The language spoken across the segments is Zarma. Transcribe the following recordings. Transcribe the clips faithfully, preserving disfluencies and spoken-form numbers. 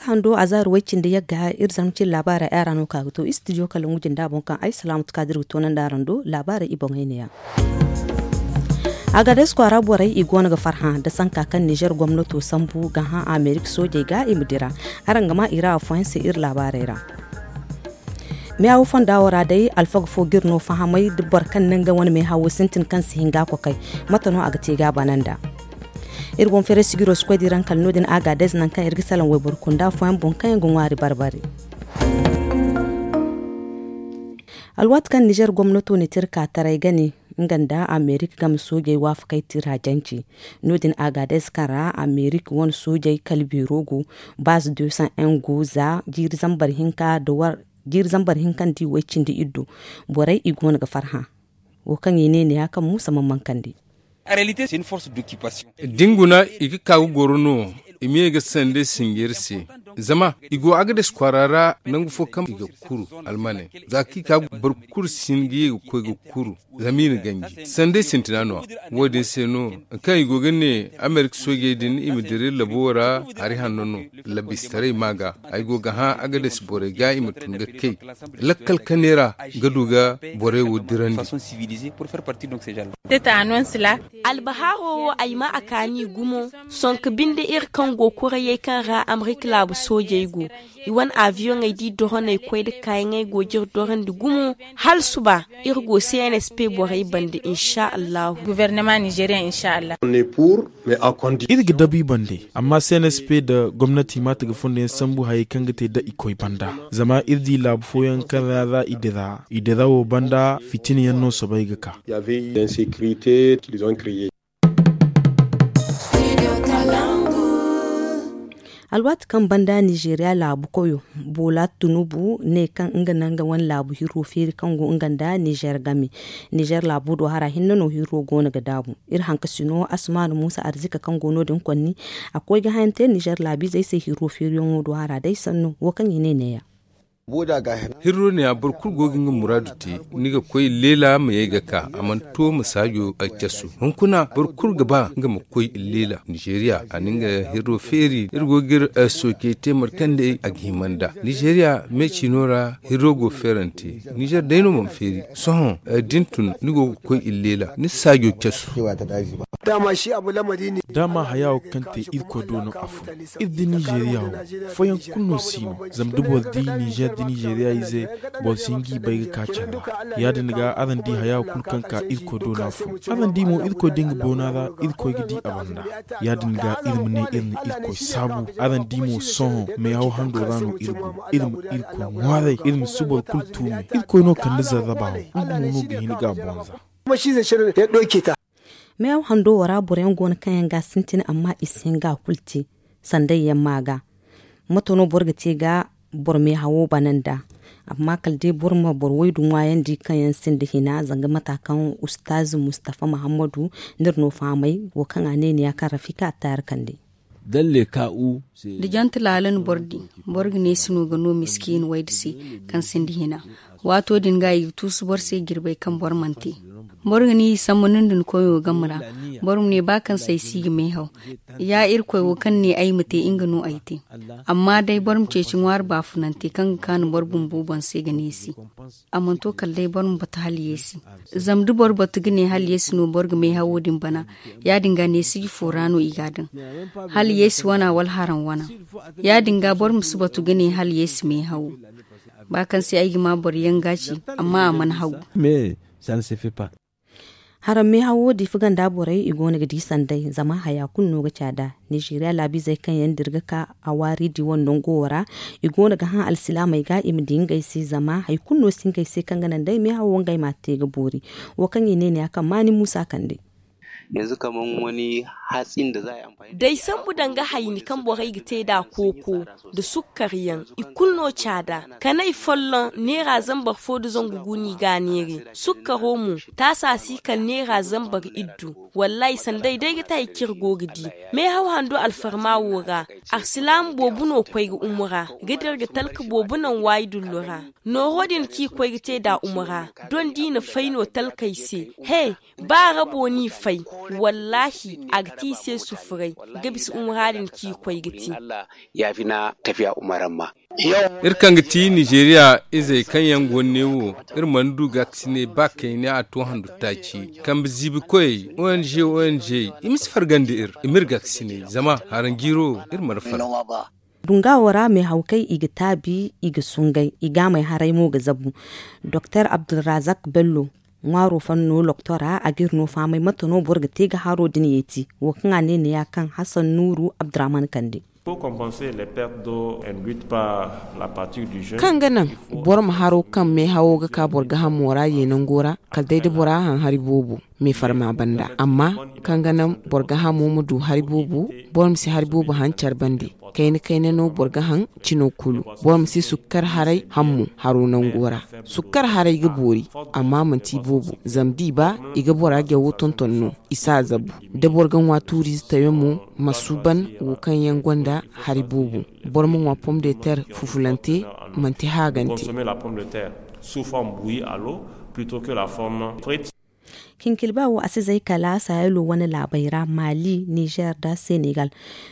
Hando a zaari way-cindi yagga iri zarma cine laabaarey ay ra no ka ga to istidiyo kala ngu jinda boŋ kaŋ ay salaamatu kaadir ga toonandi araŋ do. Laabaarey i boŋey ne- ya. Agades kwaara borey i go no ga farhã nda sanka kaŋ nizer gomnato sambu ga hã amerik soojey ga i ma dira. Araŋ ga ma i ra afooyaŋ se iri laabaarey ra. Meehaw fonda wo ra day alfaga fo ga iri no fahamay da boro kaŋ na nga wane meehawo sintin kaŋ si hin ga a kokay. Mate no a ga te ga a bana nd'a? Iri boŋ feeray sijiro si koy da iri haŋ kala no- din agadez nangu kaŋ iri ga salaŋ wayboro kunda fooyaŋ boŋ kaŋ yaŋ ga ŋwaari bare-bare. Alwaati kaŋ nizer gomnato na te iri ka taray ga ne nga nda amerika game soojey waafakey tira jance. No- din agadez kaŋ ra amerika wane soojey kala beero go baazi deux cent un go za jiiri zambar hinka nda way-cindi iddu. Borey i go no ga farhã wo kaŋ i ne ne ya kaŋ muusa mana mankandi. Da ni guna i ga ka ga goro no. I ma ye ga sanda sinjir se zama i go agades kwaara ra nangu fo kaŋ i ga kuru almaney za kaŋ i ka boro kulu si hin ga ye ga koy ga kuru. Zama i na ganji sanday sintina no- ya wo- din se no kaŋ i go ga ne amerika soojey din i ma dira iri labo ra hari hanno no. Labistaray ma ga ay go ga hã agades borey ga i ma tun ga kay lakkal kanay ra ga du ga borey wo dirandi. Albahaaro wo ay ma a kaani gumo sonka binde iri kaŋ go kurayey kaŋ ra amerika laabu soojey go i wane abiyoŋey da i doroney koy nda kaayaŋey go jire dorandi gumo. Hala suba iri go cnsp borey banda insa allahu. Iri ga dabu i bande amma cnsp nda gomnati maate ga fondo yaŋ sambu hayey kaŋ ga te da i koy banda. Zama iri di laabu fooyaŋ kaŋ ra ra i dira i dira wo banda fitina yaŋ no soobay ga ka. Alwaati kaŋ banda nizeeriya laabu koyo bola tunubu ne kaŋ nga naŋ ga wane laabu hirro feeri kaŋ go nga nda nizeer game. Nizeer laabu do hara hinne no hirro go no ga daabu. Iri hankasino asmaanu muusa arzika kaŋ go no- din konni a koy ga hayan te nizeer laabiizey se hirro feeriyaŋo do hara day sanno wo kaŋ i ne neeya. Hirro ne ya boro kulu go ga nga muraadu te ni ga koy leela ma ye ga ka a mana to ma saajo casu hunkuna boro kulu ga ba nga ma koy leela nizeeriya a na nga hirro feeri iri go ga iri sookey te mate kaŋ day a ga hima nd'a nizeeriya me ciino ra hirro go feerante. Nizeer day no mana feeri sohõ da ni tun ni go ga koy iri leela ni saajo casu. Daama haya wo kaŋ te irkoy do no a fun. Iri da nizeeriya wo fooyaŋ kulu no si no zama da boro di nizeer da nizeeriya ize boro si hin ga i bay ga ka care ra. Ya- din ga araŋ di haya wo kulu kaŋ ka irkoy do no a fun araŋ di mo irkoy da nga boona ra irkoy ga di a banda. Ya- din ga iri ma ne iri na irkoy saabu araŋ di mo sohõ meehaw hando ra no iri go. Iri ma irkoy ŋwaaray iri ma si boro kulu tuumi irkoy no kande zarraba wo nga mo no ga hin ga a bonza. Meeyaŋ hando wo ra boroyaŋ go no kaŋ yaŋ ga a sintin amma i si hin ga a kulu te. Sanday yaŋ ma ga mato no boro ga te ga boro meehawo bana nd'a. Amma kala day boro ma boro waydu ŋwaayandi kaŋ yaŋ sinda hina zanga mata kaŋ ustaaz mustafa muhammadu. N'iri no fahamay wo kaŋ a ne ni ya kaŋ rafika attaari kande. Da jante laala no boro di boro ga neesi no ga no miskiina wayda se kaŋ sinda hina. Waato din ga i ga tuusu boro se jirbey kaŋ boro mana te. Boro ga ni sambu nda ni koyo game ra boro ma ne ba kaŋ se ay si ga meehaw. Ya irkoy wo kaŋ ne ay ma te nga no ay te. Amma day boro ma ceeci ŋwaari baafunante kaŋ ga kaanu boro bumbo boŋ se ga neesi. A mana to kala day boro ma batu hala yeesi. Zama da boro batu ga ne hala yeesi no boro ga meehawo din bana. Ya- din ga neesiji fo ra no i ga a daŋ hala yeesi wana wala haraŋ wana. Ya- din ga boro ma si batu ga ne hala yeesi meehawo. Ba kaŋ se ay ga ma boro yaŋ ga ci amma a mana hagu. Haraŋ meehawo diifa ganda borey i go no ga di sanday zama haya kulu no ga caada. Nizeeriya laabiizey kaŋ yaŋ dira ga ka a waari di wane nango wo ra i go no ga hã alsilaamey ga i ma di ngey se zama hari kulu no si ngey se kaŋ ga naŋ day meehawo ngey m'a te ga boori. Wo kaŋ i ne ni ya kaŋ maani muusa kande. Day sambu danga hayni kaŋ borey ga te nd'a kooko nda sukkar yaŋ i kulu no caada. Kanay folloŋ neera zambar fo nda zangu gu no i ga a neeri. Sukkaro mo taasa si kala neera zambar iddu. Wallaahi sanday day ga te hari kaŋ iri go ga di. Meehaw hando alfarma wo ra alsilaama boobo no koy ga umura ga dira ga talka boobo naŋ waayi dullu ra. Nooro din kaŋ i koy ga te nd'a umura doŋ da i na fay no talkey se. He, ba rabo n'i fay. Wallaahi, a ga ti i se sufuray ga bisa umura din kaŋ i koy ga te. Iri kaŋ ga ti nizeeriya izey kaŋ yaŋ go ne wo, iri mana du gaakasinay ba kayna a to handu taaci. Kambe ziibi koyey, ong ong, i ma si fargandi iri, i m'iri gaakasinay zama haranjiiro iri mana far. Dunga wo ra meehawkey i ga taabi, i ga sungay, i gaamey haray mo ga zabu. Doktor abdulrazak bello, ŋwaaro fanno loktora a g'iri no fahamay mate no boro ga te ga haro din yeeti wo kaŋ a ne neeya kaŋ hasan nuuru abdurrahman kande. Kaŋ ga naŋ boro ma haro kaŋ meehawo ga ka boro gahamo ra ye nango ra, kala day da bora haŋ hari boobo meefarma banda. Amma kaŋ ga naŋ boro gahamo ma du hari boobo, boro ma si hari boobo haŋ care bande. Kayna kayna no boro ga haŋ cino kulu. Boro ma si sukkar haray hammo haro nango ra. Sukkar haray ga boori, amma manti boobo. Zama d'i ba i ga bora jawo tonton no, i s'a zabu. Da boro ga ŋwa tuuriize tayo mo, ma suuban wo kaŋ yaŋ gonda hari boobo. Boro ma ŋwa pom de ter fufulante, manti haagante. Kinkilba wo a si zay kala sahelo wane laabey ra, mali, nizer nda senegal.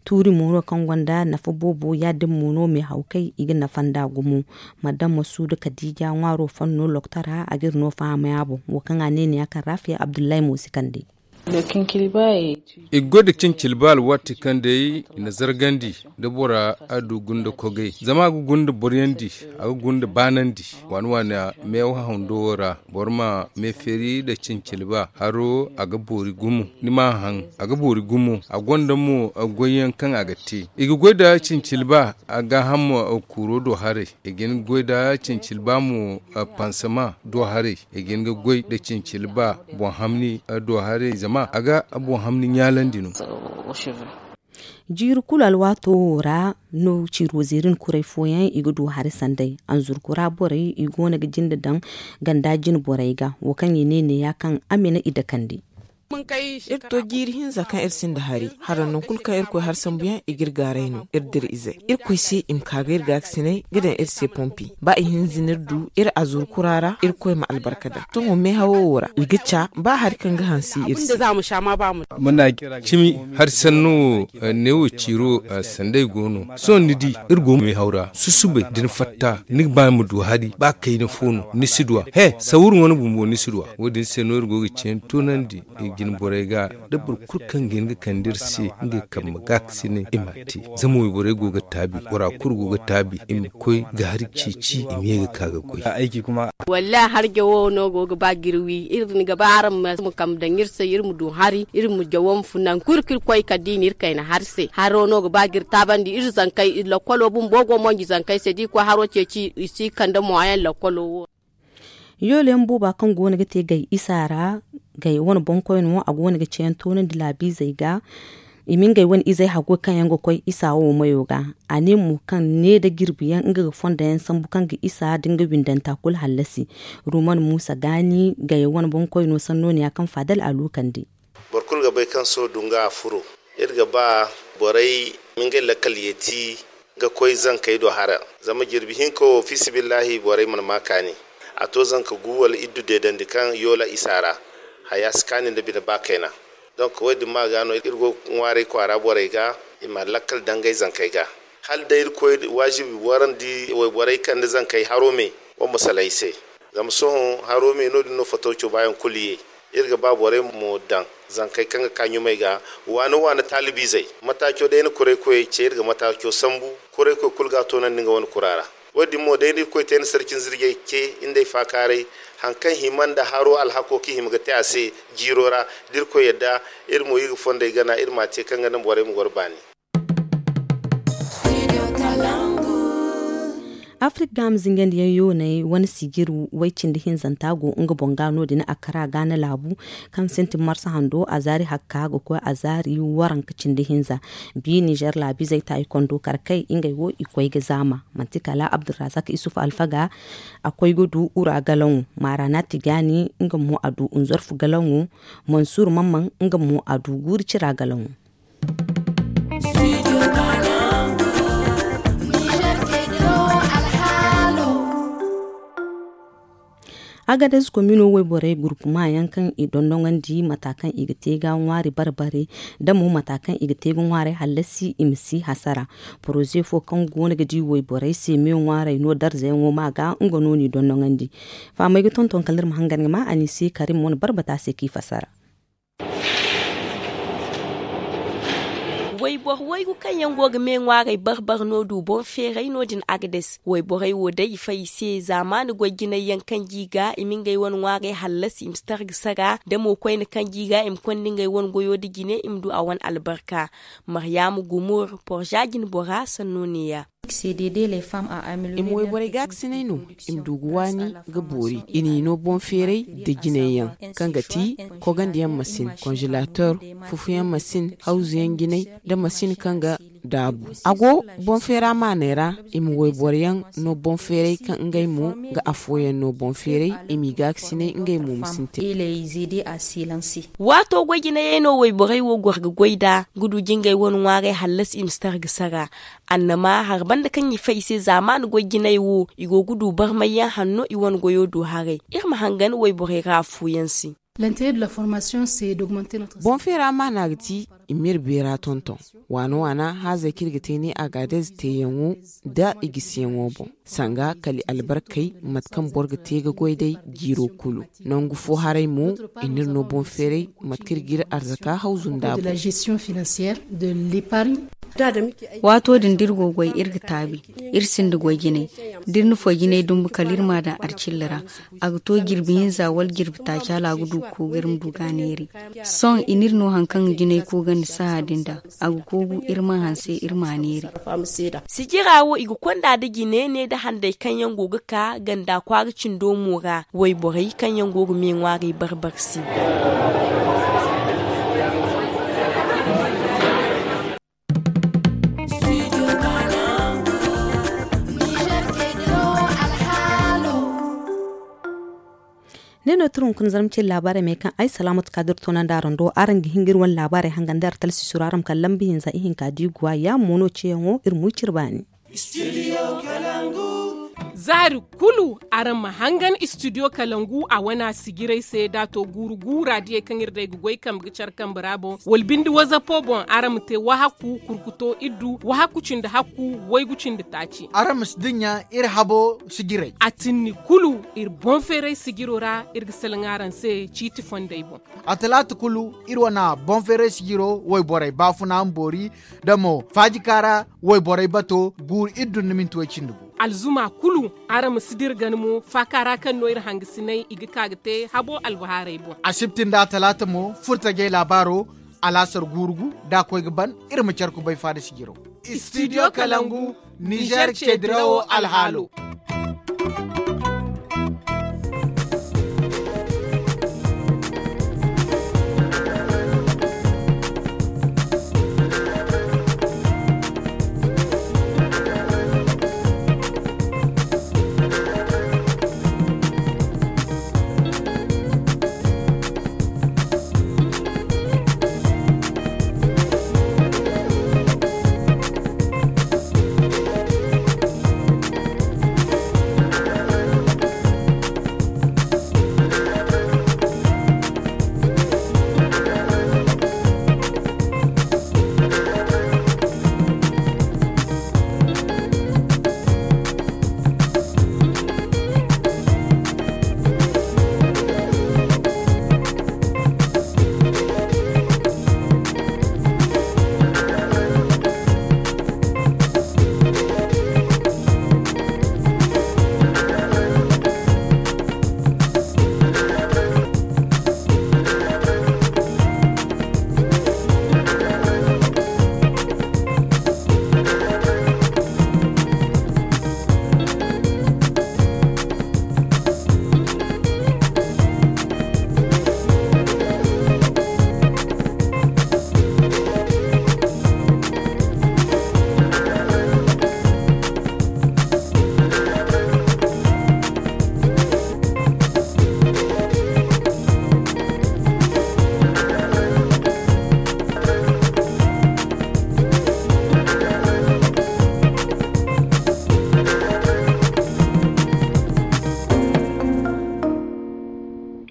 Tuuri mo no kaŋ gonda nafa boobo, ya- din mo no meehawkey i ga nafa nd'a gumo. Madama suudu kadiija ŋwaaro fanno loktora a g'iri no fahamay a boŋ wo kaŋ a ne neeya kaŋ rafiya abdullahi mo si kande. I ga goy nda cincilba alwaati kaŋ day i na zargandi da bora a du gunda kogay, zama a ga gunda boriyandi, a ga gunda baanandi. Waani waani meewa hando wo ra boro ma meefeeri nda cincilba haro a ga boori gumo. Ni ma a haŋ, a ga boori gumo. A gonda mo goyyaŋ kaŋ a ga te. I ga goy nda cincilba a gaaham kuuro do haray. I ga hin ga goy nda cincilba mo pansama do haray. I ga hin ga goy nda cincilba boŋ hamni do haray, zama a ga boŋ hamni ɲaalandi no. Jiiri kulu alwaato wo ra no ciiro zeerin kuray fooyaŋ i ga du hari sanday. Anzurku ra borey i go no ga jinde daŋ ganda jine borey ga wo kaŋ i ne neeya kaŋ a ma ne i dakandi. Iri to jiiri hinza kaŋ iri sinda hari haro nangu kulu kaŋ iri koy hari sambu yaŋ i ga iri gaaray no iri dira izey. Iri koy se i ma ka ga iri gaakasinay ga daŋ iri se pompi. Ba i hinza no iri du iri azuru kura ra iri koy ma albarka daŋ sohõ meehawo wo ra i ga ca ba hari kaŋ ga hansi iri se. Cimi hari sanno wo neewo ciiro sanday go no. Sohõ ni di iri go meehaw ra susubay da ni fatta ni ga ba ma du hari ba kayna fo no ni si duw'a he sawur wane bumbo ni si duw'a. Wo- din se no iri go ga ceeni toonandi. Jine borey ga da boro kulu kaŋ ga hin ga kande iri se nga kambe gaakasinay i m'a te. Zama wayborey go ga taabi bora kulu go ga taabi i ma koy ga hari ceeci i ma ye ga ka ga goy. Wallahi harjo wo no go ga ba ga iri wi iri ga ba araŋ ma kambe daŋ iri se iri ma du hari iri ma jawo ma fun nangu kulu kaŋ iri koy kala da i na iri kayna hari se haro no ga ba ga iri taabandi iri zankey lakkolo bumbo go monji zankey se da i koy haro ceeci i si kande moyaŋ lakkolo wo. Yoolo yaŋ booba kaŋ go no ga te gay isa ra gay wane boŋkoyno a go no ga ceeyaŋ toonandi laabiizey ga. I ma ngey wane izey haggoy kaŋ yaŋ ga koy isa wo mayo ga. A ne mo kaŋ ne nda jirbi yaŋ nga ga fondo yaŋ sambu kaŋ ga isa nda nga windanta kulu hallasi. Ruman muusa gaani gay wane boŋkoyno sanno ne ya kaŋ faadal a luukandi. Boro kulu ga bay kaŋ sohõ dunga a furo. Iri ga ba borey ma ngey lakkal yeeti ga koy zankey do hara. Zama jirbi hinka wo fiisabilillahi borey mana ma kaani. A to zanka gu wala iddu deedandi kaŋ yoola isa ra. Haya si kaani nda bine ba kayna. Donk wo- din ma ga no iri go ga ŋwaaray kwaara borey ga i ma lakkal daŋ ngey zankey ga. Hala day iri koy waazibi warandi wayborey kande zankey haro me. Wa ma salaŋ ay se. Zama sohõ haro me no- din no fataw cobaayaŋ kulu ye. Iri ga ba borey mo daŋ zankey kaŋ ga ka ɲumay ga. Waani waani taalibiizey mataaco day na kuraykoyey ce iri ga mataaco sambu. Kuraykoy kulu ga a toonandi nga wane kura ra. Wo- din mo day no irkoy te na sarcin zirjey ce nda ay faakaaray. Hari kaŋ hima nda haro alhako kaŋ i hima ga te a se jiiro ra da irkoy yadda iri mo iri ga fondey gana iri m'a te kaŋ ga naŋ borey ma goro baani. Afirik gaama zingandiyaŋ yoonay wane sijir way cindi hinzanta go nga boŋ ga no- din a kara gaana laabu kaŋ sintin marsa hando a zaari hakka ga koy a zaari waranka cindi hinza. Bi nizer laabiizey taayikondo kar kay ngey wo i koy ga zaama. Manti kala abdulrazak isuf alfaga a koy ga du ura galaŋo. Maarana tigaani nga mo a du nzorfu galaŋo. Mansur mamman nga mo a du guuri cira galaŋo. Agadez komino wayborey gurpuma yaŋ kaŋ i dondoŋandi mata kaŋ i ga te ga ŋwaari bare-bare, da mo mata kaŋ i ga te ga ŋwaarey hallasi i ma si hasara. Poroze fo kaŋ go no ga di wayborey se me ŋwaarey no darzayaŋo ma ga nga no n'i dondoŋandi. Fahamey ga tonton kala iri ma hangan ga ma a n'i se karim wane barbata se k'i fasara. Wayboro waygu kaŋ yaŋ go ga me ŋwaarey bar-bar no du boŋ feeray no- din agades wayborey wo day i fay i se zaamaani goy jinay yaŋ kaŋ gi ga i ma ngey wane ŋwaarey hallasi i ma si targa sara da mo koyne kaŋ gi ga i ma konda ngey wane goyo nda jine i ma du a wane albarka. Maryaama gumur porza jinbora sanno neeya. I ma wayborey gaakasinay no i ma du ga waani ga boori i n'i no boŋ feeray da jinay yaŋ kaŋ ga ti kogandiyaŋ masin, konzelator, fufuyaŋ masin, hawzuyaŋ jinay, nda masin kaŋ ga daabu. A go boŋ feera maaney ra i ma wayboro yaŋ no boŋ feeray kaŋ ngey mo ga afooyaŋ no boŋ feeray i m'i gaakasinay ngey mo ma sintin. Waato goy jinayey no wayborey wo goro ga goy nd'a ga du jingey wane ŋwaaray hallasi i ma si targa sara. Annama hara banda kaŋ i fay i se zaamaani goy jinay wo i go ga du barmayyaŋ hanno i wane goyo du haray. Iri ma hangan wayborey ra afooyaŋ se. Boŋ feera maana ga ti i m'iri beera tonton waana waana haazey kaŋ iri ga te ne agaadez teeyaŋo nda i gisiyaŋo boŋ, sanga kala i albarkey mate kaŋ boro ga te ga goy day jiiro kulu. Nangu fo haray mo i n'iri no boŋ feeray mate kaŋ iri g'iri arzaka hawzu nda a boŋ. Waato din da iri go ga goy iri ga taabi, iri sinda goy jinay. Da iri na foy jinay dumbu kala iri m'a daŋ arcilla ra. A ga to jirbi hinza wala jirbi taaci hala a ga du ga koogu iri ma du ga a neeri. Sohõ i n'iri no hari kaŋ ga jinay koogandi saha din da a ga koogu iri ma hanse iri m'a neeri. Sijira wo i ga konda nda jine ne nda handay kaŋ yaŋ go ga ka ganda kwaara cindo mo ra wayborey kaŋ yaŋ go ga me ŋwaaray barbar se. Ne no tira hunkuna zarma cine laabaarey me kaŋ ay salaamatu kaadir toonandi araŋ do araŋ ga hin ga iri wane laabaarey hangan da araŋ talsiiso ra araŋ ma kala lamba hinza ihinka da i guwa yaamo no ceeyaŋo iri ma wi cire baani. Zaari kulu araŋ ma hangan istidiyo kalangu a wana sijirey se da a to guuru guura diyey kaŋ iri day ga goy kambe ga care kambe ra boŋ wala binde wazapo boŋ araŋ ma te wahakku kurkuto iddu wahakku cindi hakku waygu cindi taaci. Araŋ ma si dinya iri habo sijirey a tinni kulu iri boŋ feeray sijiro ra iri ga salaŋ araŋ se ciiti fondey boŋ. A talaata kulu iri wana boŋ feeray sijiro wayborey baafuna ma boori da mo faajika ra wayborey bato guuru iddu nda minti way cindi gu. Alzuma kulu araŋ ma si dira gana mo faaka ra kaŋ no iri hangasiney i ga ka ga te habo albahaarey boŋ. Asibti nda atalaata mo furtajey laabaaro alaasar guuru gu da a koy ga ban iri ma care kubay faada sijiro. Istidiyo kalangu nizer ceedirawo alhaalo.